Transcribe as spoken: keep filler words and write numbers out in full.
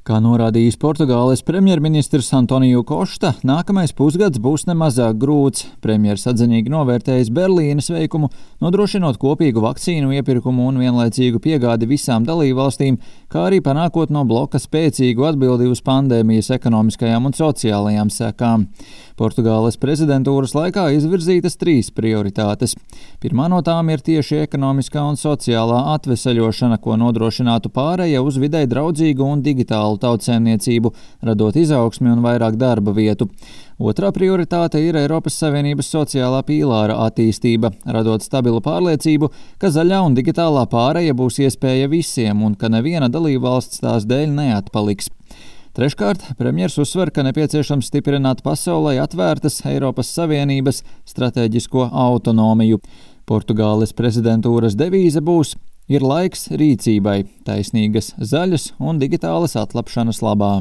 Kā norādījis Portugāles premjerministrs Antoniju Kosta, nākamais pusgads būs nemazāk grūts. Premjers atzinīgi novērtējis Berlīnes veikumu, nodrošinot kopīgu vakcīnu iepirkumu un vienlaicīgu piegādi visām dalībvalstīm, kā arī panākot no bloka spēcīgu atbildi uz pandēmijas ekonomiskajām un sociālajām sekām. Portugāles prezidentūras laikā izvirzītas trīs prioritātes. Pirmā no tām ir tieši ekonomiskā un sociālā atveseļošana, ko nodrošinātu pāreja uz videi draudzīgu un digitālu tautsēmniecību, radot izaugsmi un vairāk darba vietu. Otrā prioritāte ir Eiropas Savienības sociālā pīlāra attīstība, radot stabilu pārliecību, ka zaļā un digitālā pāreja būs iespēja visiem un ka neviena dalībvalsts tās dēļ neatpaliks. Treškārt, premjers uzsver, ka nepieciešams stiprināt pasaulē atvērtas Eiropas Savienības stratēģisko autonomiju. Portugāles prezidentūras devīze būs: ir laiks rīcībai, taisnīgas, zaļas un digitālas atlapšanas labā.